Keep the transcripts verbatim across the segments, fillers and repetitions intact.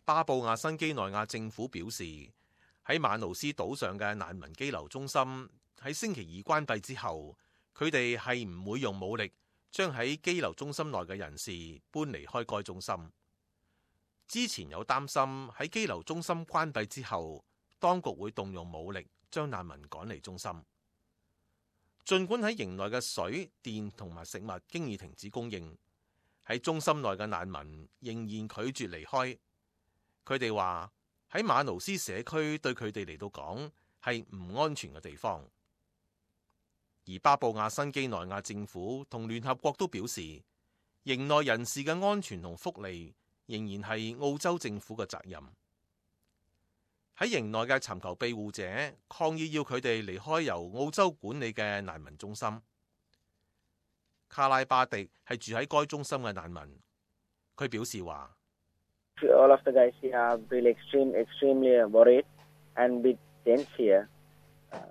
巴布亞新畿內亞政府表示，喺馬努斯島上嘅難民羈留中心喺星期二關閉之後，佢哋係唔會用武力將喺羈留中心內嘅人士搬離開該中心。之前有擔心喺羈留中心關閉之後，當局會動用武力將難民趕離中心。儘管喺營內嘅水、電同埋食物經已停止供應，喺中心內嘅難民仍然拒絕離開。佢哋話喺馬努斯社區對佢哋嚟到講係唔安全嘅地方。而巴布亞新畿內亞政府同聯合國都表示，營內人士嘅安全同福利仍然係澳洲政府嘅責任。喺營內嘅尋求庇護者抗議要佢哋離開由澳洲管理嘅難民中心。卡拉巴迪係住喺該中心嘅難民，佢表示話：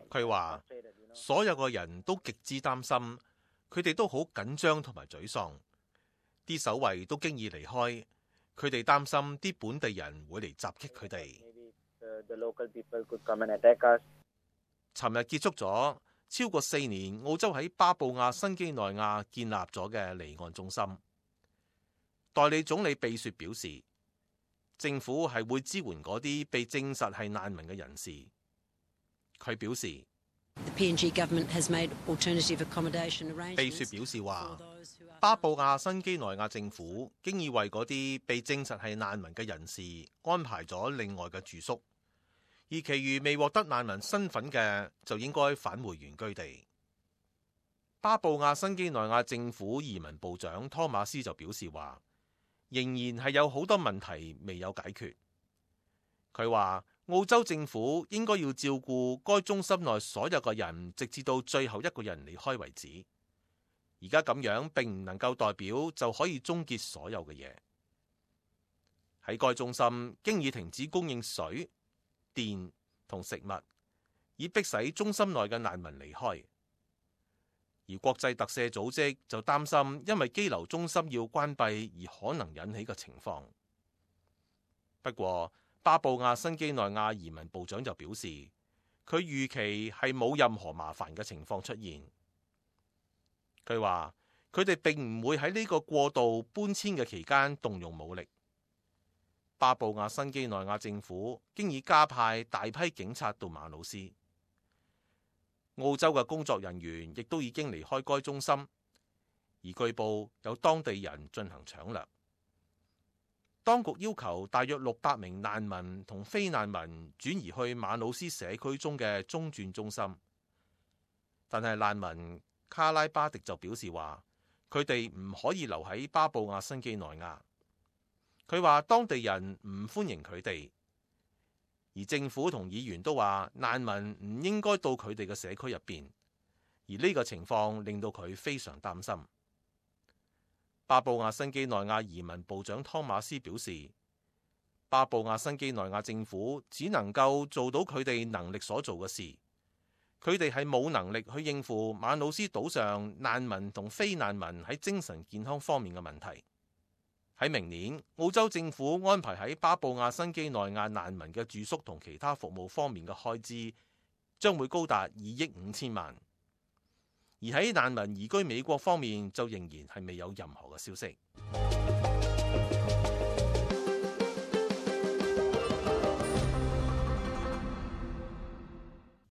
佢話所有個人都極之擔心，佢哋都好緊張同埋沮喪。啲守衛都經已離開，佢哋擔心啲本地人會嚟襲擊佢哋。尋日結束咗超過四年澳洲喺巴布亞新畿內亞建立咗嘅離岸中心。代理總理貝雪表示，政府係會支援嗰啲被證實係難民嘅人士。佢表示，貝雪表示話，巴布亞新畿內亞政府經已為嗰啲被證實係難民嘅人士安排咗另外嘅住宿。而其餘未獲得難民身份嘅就應該返回原居地。巴布亞新畿內亞政府移民部長湯馬斯就表示話，仍然係有好多問題未有解決。佢話澳洲政府應該要照顧該中心內所有嘅人，直至到最後一個人離開為止。而家咁樣並唔能夠代表就可以終結所有嘅嘢。喺該中心經已停止供應水、電同食物，以迫使中心內嘅難民離開。而國際特赦組織就擔心，因為羈留中心要關閉而可能引起嘅情況。不過，巴布亞新畿內亞移民部長就表示，佢預期係冇任何麻煩嘅情況出現。佢話：佢哋並唔會喺呢個過渡搬遷嘅期間動用武力。巴布亞新畿內亞政府經已加派大批警察到馬努斯，澳洲嘅工作人員亦都已經離開該中心，而據報有當地人進行搶掠。當局要求大約六百名難民同非難民轉移去馬努斯社區中嘅中轉中心，但係難民卡拉巴迪就表示話，佢哋唔可以留喺巴布亞新畿內亞。佢話當地人唔歡迎佢哋，而政府同議員都話難民唔應該到佢哋嘅社區入邊，而呢個情況令到佢非常擔心。巴布亞新畿內亞移民部長湯馬斯表示，巴布亞新畿內亞政府只能夠做到佢哋能力所做嘅事，佢哋係冇能力去應付馬努斯島上難民同非難民喺精神健康方面嘅問題。喺明年，澳洲政府安排喺巴布亞新畿內亞難民嘅住宿同其他服務方面嘅開支將會高達二億五千萬，而喺難民移居美國方面就仍然係未有任何嘅消息。